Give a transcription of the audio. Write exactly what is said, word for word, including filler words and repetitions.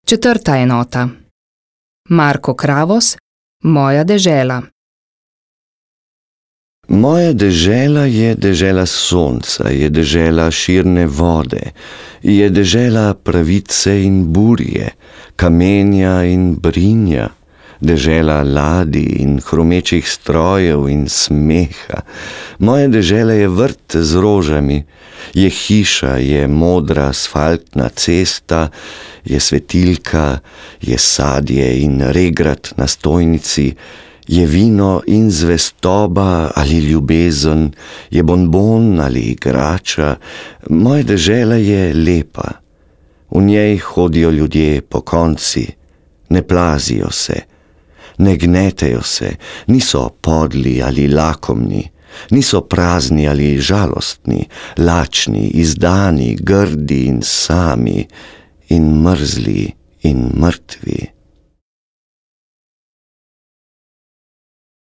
Četrta enota. Marko Kravos, Moja dežela. Moja dežela je dežela sonca, je dežela širne vode, je dežela pravice in burje, kamenja in brinja, dežela ladij in hrumečih strojev in smeha. Moja dežela je vrt z rožami, je hiša, je modra asfaltna cesta, je svetilka, je sadje in regrat na stojnici, je vino in zvestoba ali ljubezen, je bonbon ali igrača. Moja dežela je lepa. V njej hodijo ljudje pokonci, ne plazijo se, ne gnetejo se, niso podli ali lakomni, niso prazni ali žalostni, lačni, izdani, grdi in sami in mrzli in mrtvi.